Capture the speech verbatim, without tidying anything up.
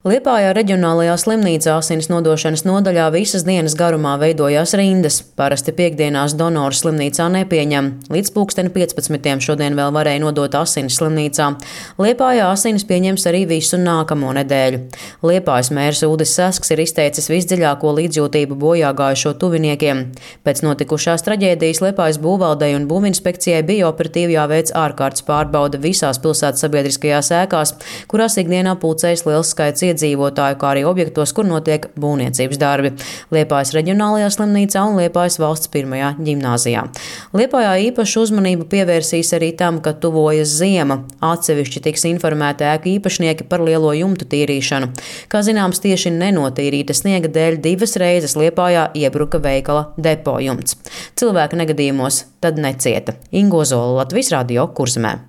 Liepājā reģionālajā slimnīcā asins nodošanas nodaļā visas dienas garumā veidojās rindas. Parasti piektdienās donoru slimnīcā nepieņem. Līdz pulksteni piecpadsmitiem šodien vēl varēja nodot asinis slimnīcā. Liepājā asinis pieņems arī visu nākamo nedēļu. Liepājas mērs Uldis Sasks ir izteicis visdziļāko līdzjūtību bojā gājušo tuviniekiem. Pēc notikušās traģēdijas Liepājas būvvaldei un būvinspekcijai bija operatīvi jāveic ārkārtas pārbaude visās pilsētas sabiedriskajās ēkās, kurās ikdienā pulcējas liels skaits iedzīvotāju, kā arī objektos, kur notiek būvniecības darbi - Liepājas reģionālajā slimnīcā un Liepājas valsts pirmajā ģimnāzijā. Liepājā īpašu uzmanību pievērsīs arī tam, ka tuvojas ziema. Atsevišķi tiks informēti ēku īpašnieki par lielo jumtu tīrīšanu. Kā zināms, tieši nenotīrīta sniega dēļ divas reizes Liepājā iebruka veikala depo jumts. Cilvēki negadījumos tad necieta. Ingo Zola, Latvijas radio, Kurzemē.